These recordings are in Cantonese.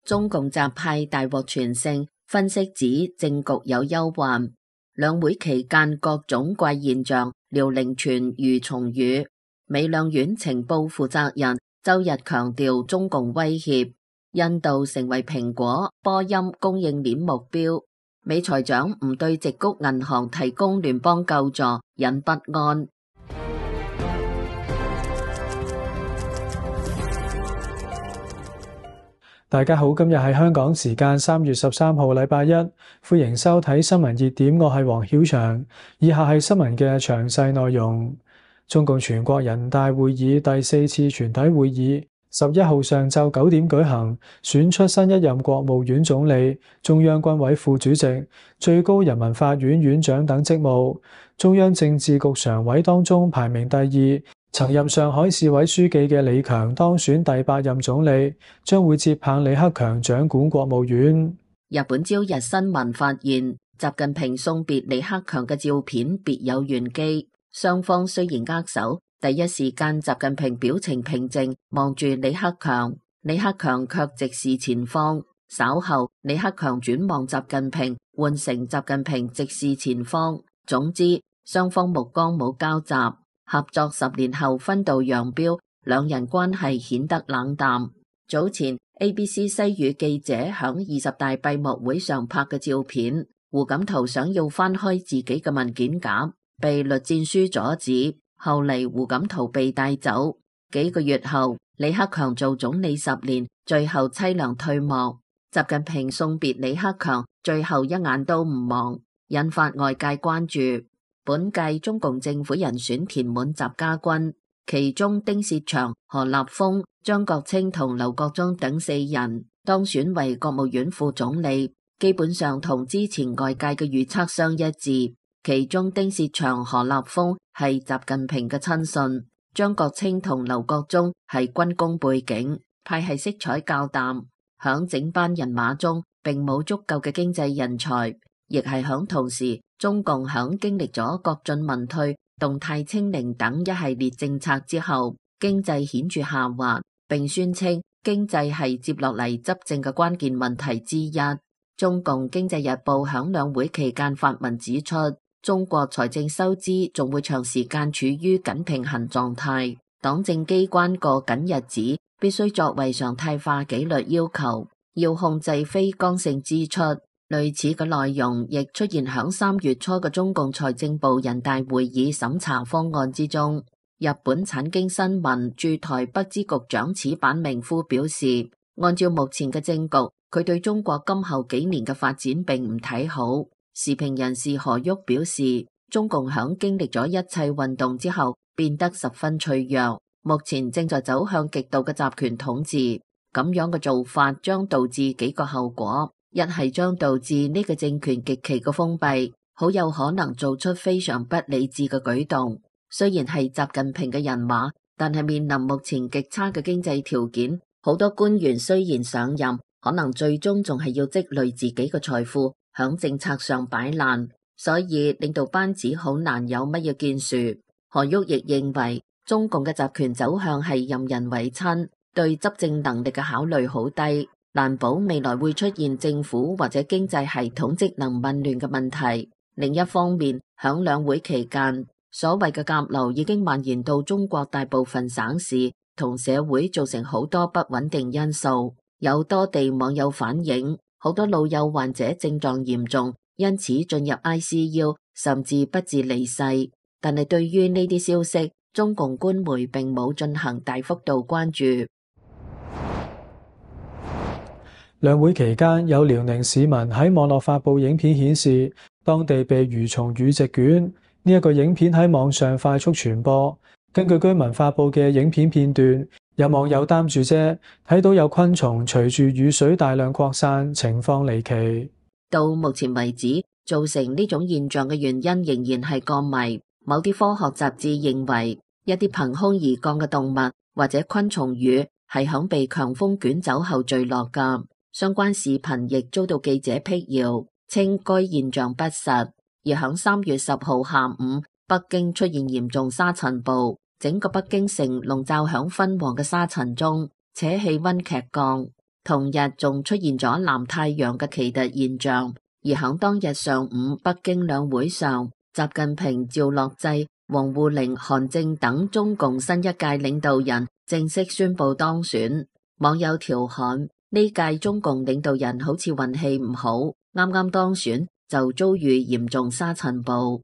中共習派大獲全勝，分析指政局有憂患。兩會期間各種怪現象遼寧傳如松語，美兩院情報負責人周日強調中共威脅印度成為蘋果、波音供應鏈目標，美財長唔對矽谷銀行提供聯邦救助引不安。大家好，今日係香港時間3月13號禮拜一，歡迎收睇新聞熱點，我係黃曉翔。以下係新聞嘅詳細內容。中共全國人大會議第4次全體會議11號上晝9點舉行，選出新一任國務院總理、中央軍委副主席、最高人民法院院長等職務。中央政治局常委當中排名第2，曾任上海市委書記嘅李強當選第8任總理，將會接棒李克強掌管國務院。日本朝日新聞發現，習近平送別李克強嘅照片別有玄機。雙方雖然握手，第一時間習近平表情平靜，望住李克強，李克強卻直視前方。稍後，李克強轉望習近平，換成習近平直視前方。總之，雙方目光冇交集。合作10年後分道揚鑣，兩人關係顯得冷淡。早前 ABC 西語記者響20大閉幕會上拍嘅照片，胡錦濤想要翻開自己嘅文件夾，被栗戰書阻止。後嚟胡錦濤被帶走。幾個月後，李克強做總理10年，最後淒涼退幕。習近平送別李克強，最後一眼都唔望，引發外界關注。本屆中共政府人選填滿習家軍，其中丁薛祥、何立峰、張國清同劉國中等4人當選為國務院副總理，基本上同之前外界嘅預測相一致。其中丁薛祥、何立峰係習近平嘅親信，張國清同劉國中係軍工背景，派系色彩較淡。響整班人馬中，並冇足夠嘅經濟人才，亦係響同時，中共響經歷咗國進民退、動態清零等一系列政策之後，經濟顯著下滑，並宣稱經濟係接落嚟執政嘅關鍵問題之一。中共經濟日報響兩會期間發文指出，中國財政收支仲會長時間處於緊平衡狀態，黨政機關過緊日子必須作為常態化紀律要求，要控制非剛性支出。類似嘅內容亦出現響3月初嘅中共財政部人大會議審查方案之中。日本產經新聞駐台北支局長矢板明夫表示，按照目前嘅政局，佢對中國今後幾年嘅發展並唔睇好。時評人士何旭表示，中共響經歷咗一切運動之後，變得十分脆弱，目前正在走向極度嘅集權統治。咁樣嘅做法將導致幾個後果。一係將導致呢個政權極其嘅封閉，好有可能做出非常不理智嘅舉動。雖然係習近平嘅人馬，但係面臨目前極差嘅經濟條件，好多官員雖然上任，可能最終仲係要積累自己嘅財富，響政策上擺爛，所以領導班子好難有乜嘢建樹。何旭亦認為，中共嘅集權走向係任人唯親，對執政能力嘅考慮好低。難保未來會出現政府或者經濟系統職能紊亂嘅問題。另一方面，響兩會期間，所謂嘅甲流已經蔓延到中國大部分省市同社會，造成好多不穩定因素。有多地網友反映，好多老幼患者症狀嚴重，因此進入 ICU， 甚至不治離世。但係對於呢啲消息，中共官媒並冇進行大幅度關注。兩會期間，有遼寧市民喺網絡發布影片顯示，當地被蠕蟲語席捲。呢一個影片喺網上快速傳播。根據居民發布嘅影片片段，有網友擔住遮，睇到有昆蟲隨住雨水大量擴散，情況離奇。到目前為止，造成呢種現象嘅原因仍然係個謎。某啲科學雜誌認為，一啲憑空而降嘅動物或者昆蟲羽係響被強風捲走後墜落㗎。相關視頻亦遭到記者闢謠，稱該現象不實。而響3月10號下午，北京出現嚴重沙塵暴，整個北京城籠罩響昏黃嘅沙塵中，且氣溫劇降。同日仲出現咗南太陽嘅奇特現象，而響當日上午北京兩會上，習近平、趙樂際、王滬寧、韓正等中共新一屆領導人正式宣布當選。網友調侃呢屆中共領導人好似運氣唔好，啱啱當選就遭遇嚴重沙塵暴。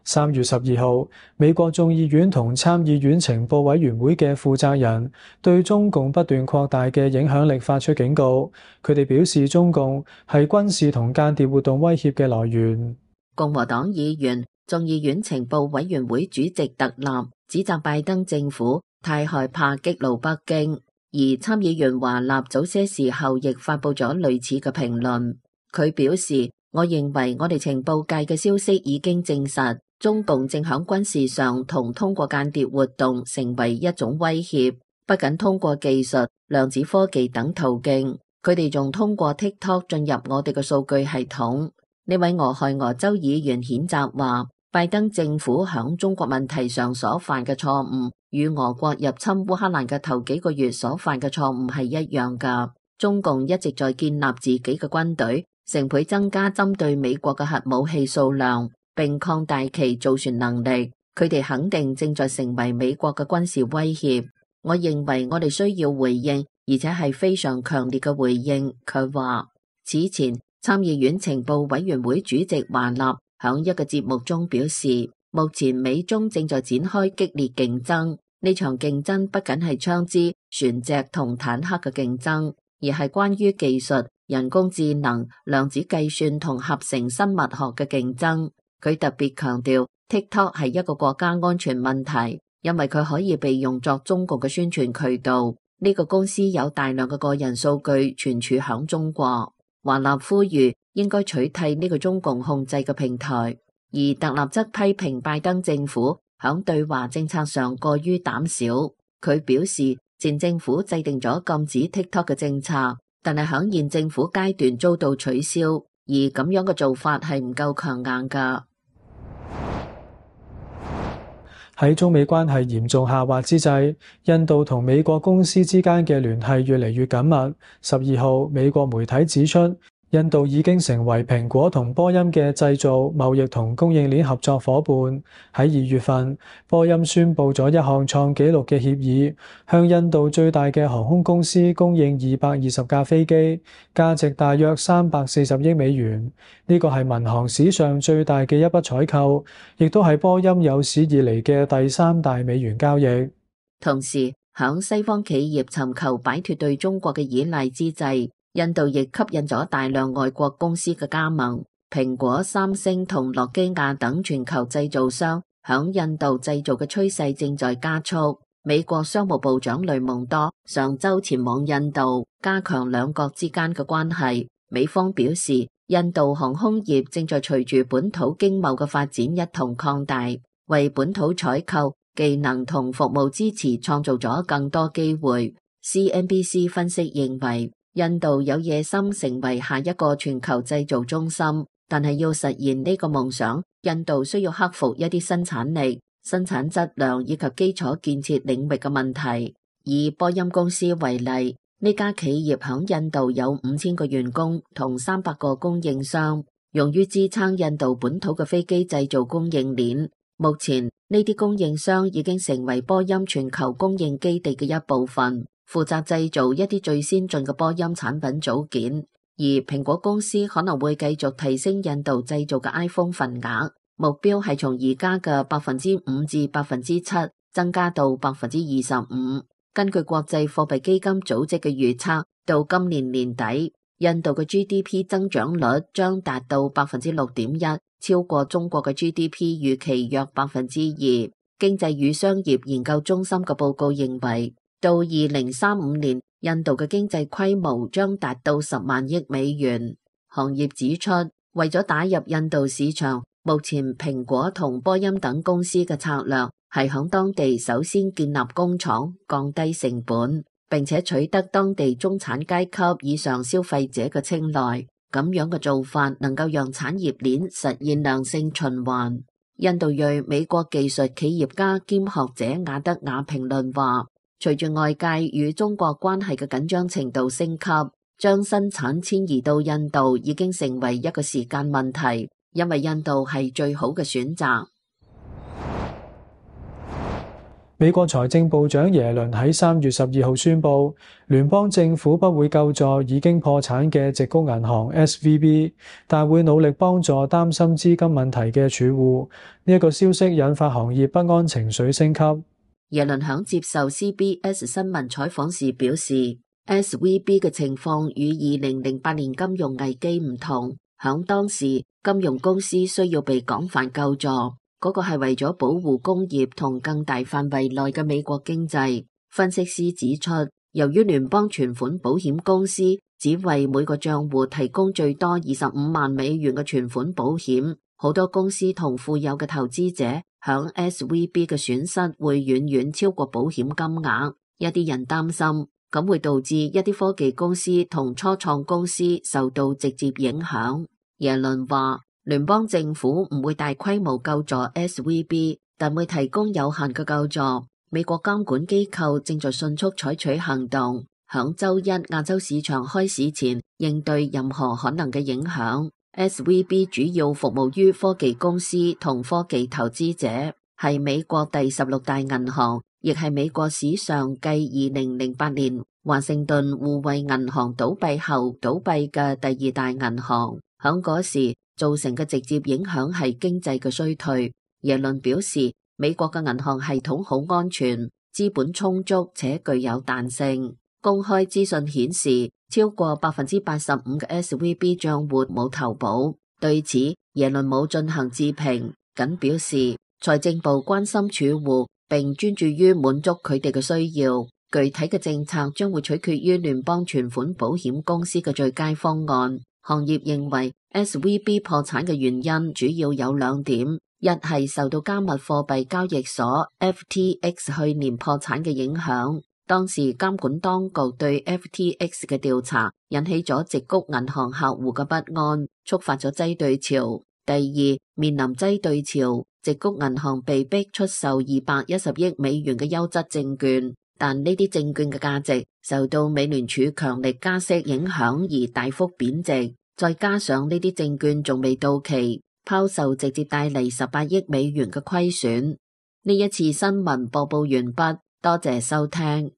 3月12號，美國眾議院同參議院情報委員會嘅負責人對中共不斷擴大嘅影響力發出警告，佢哋表示中共係軍事同間諜活動威脅嘅來源。共和黨議員、眾議院情報委員會主席特納指責拜登政府太害怕激怒北京，而參議員華納早些時候亦發佈咗類似嘅評論。佢表示，我認為我哋情報界嘅消息已經證實，中共正響軍事上同通過間諜活動成為一種威脅，不僅通過技術、量子科技等途徑，佢哋仲通過 TikTok 進入我哋嘅數據系統。呢位俄亥俄州議員譴責話，拜登政府響中國問題上所犯嘅錯誤，與俄國入侵烏克蘭嘅頭幾個月所犯嘅錯誤係一樣㗎。中共一直在建立自己嘅軍隊，成倍增加針對美國嘅核武器數量，並擴大其造船能力。佢哋肯定正在成為美國嘅軍事威脅。我認為我哋需要回應，而且係非常強烈嘅回應。佢話，此前參議院情報委員會主席華納響一個節目中表示，目前美中正在展開激烈競爭。呢場競爭不僅係槍支、船隻同坦克嘅競爭，而係關於技術、人工智能、量子計算同合成生物學嘅競爭。佢特別強調 TikTok 係一個國家安全問題，因為佢可以被用作中國嘅宣傳渠道。呢個公司有大量嘅個人數據存儲響中國。華納呼籲應該取締呢個中共控制嘅平台，而特納則批評拜登政府響對華政策上過於膽小。佢表示，前政府制定咗禁止 TikTok 嘅政策，但係響現政府階段遭到取消，而咁樣嘅做法係唔夠強硬㗎。喺中美關係嚴重下滑之際，印度同美國公司之間嘅聯繫越嚟越緊密。12號，美國媒體指出，印度已經成為蘋果同波音嘅製造、貿易同供應鏈合作夥伴。喺2月份，波音宣布咗一項創紀錄嘅協議，向印度最大嘅航空公司供應220架飛機，價值大約340億美元。呢個係民航史上最大嘅一筆採購，亦都係波音有史以嚟嘅第3大美元交易。同時，響西方企業尋求擺脫對中國嘅依賴之際，印度亦吸引咗大量外國公司嘅加盟，蘋果、三星同諾基亞等全球製造商響印度製造嘅趨勢正在加速。美國商務部長雷蒙多上週前往印度，加強兩國之間嘅關係。美方表示，印度航空業正在隨住本土經貿嘅發展一同擴大，為本土採購、技能同服務支持創造咗更多機會。CNBC 分析認為，印度有野心成為下一個全球製造中心，但係要實現呢個夢想，印度需要克服一啲生產力、生產質量以及基礎建設領域嘅問題。以波音公司為例，呢家企業響印度有5000個員工同300個供應商，用於支撐印度本土嘅飛機製造供應鏈。目前呢啲供應商已經成為波音全球供應基地嘅一部分，負責製造一啲最先進嘅波音產品組件，而蘋果公司可能會繼續提升印度製造嘅 iPhone 份額，目標係從而家嘅5%至7%增加到25%。根據國際貨幣基金組織嘅預測，到今年年底，印度嘅 GDP 增長率將達到6.1%，超過中國嘅 GDP 預期約2%。經濟與商業研究中心嘅報告認為，到2035年，印度嘅經濟規模將達到10萬億美元。行業指出，為咗打入印度市場，目前蘋果同波音等公司嘅策略係響當地首先建立工廠，降低成本，並且取得當地中產階級以上消費者嘅青睞。咁樣嘅做法能夠讓產業鏈實現良性循環。印度裔美國技術企業家兼學者亞德雅評論話，隨住外界與中國關係嘅緊張程度升級，將生產遷移到印度已經成為一個時間問題，因為印度係最好嘅選擇。美國財政部長耶倫喺3月12號宣布，聯邦政府不會救助已經破產嘅矽谷銀行 SVB， 但會努力幫助擔心資金問題嘅儲戶。呢一個消息引發行業不安情緒升級。耶倫響接受 CBS 新聞採訪時表示，SVB 嘅情況與2008年金融危機唔同，響當時金融公司需要被廣泛救助。嗰個係為咗保護工業同更大範圍內嘅美國經濟。分析師指出，由於聯邦存款保險公司只為每個賬戶提供最多25萬美元嘅存款保險，好多公司同富有嘅投資者響 SVB 嘅損失會遠遠超過保險金額。一啲人擔心，咁會導致一啲科技公司同初創公司受到直接影響。耶倫話，聯邦政府唔會大規模救助 SVB， 但會提供有限嘅救助。美國監管機構正在迅速採取行動，響週一亞洲市場開市前應對任何可能嘅影響。SVB 主要服務於科技公司同科技投資者，係美國第16大銀行，亦係美國史上繼2008年華盛頓互惠銀行倒閉後倒閉嘅第2大銀行。響嗰時造成嘅直接影響係經濟嘅衰退。耶倫表示，美國嘅銀行系統好安全，資本充足且具有彈性。公開資訊顯示，超過85%嘅 SVB 賬戶冇投保。對此，耶倫冇進行置評，僅表示財政部關心儲戶，並專注於滿足佢哋嘅需要。具體嘅政策將會取決於聯邦存款保險公司嘅最佳方案。行業認為 SVB 破產嘅原因主要有2點，一係受到加密貨幣交易所 FTX 去年破產嘅影響，當時監管當局對 FTX 嘅調查引起咗矽谷銀行客戶嘅不安，觸發咗擠兌潮。第二，面臨擠兌潮，矽谷銀行被逼出售210億美元嘅優質證券，但呢啲證券嘅價值受到美聯儲強力加息影響而大幅貶值，再加上呢啲證券仲未到期，拋售直接帶嚟18億美元嘅虧損。呢一次新聞播報完畢，多謝收聽。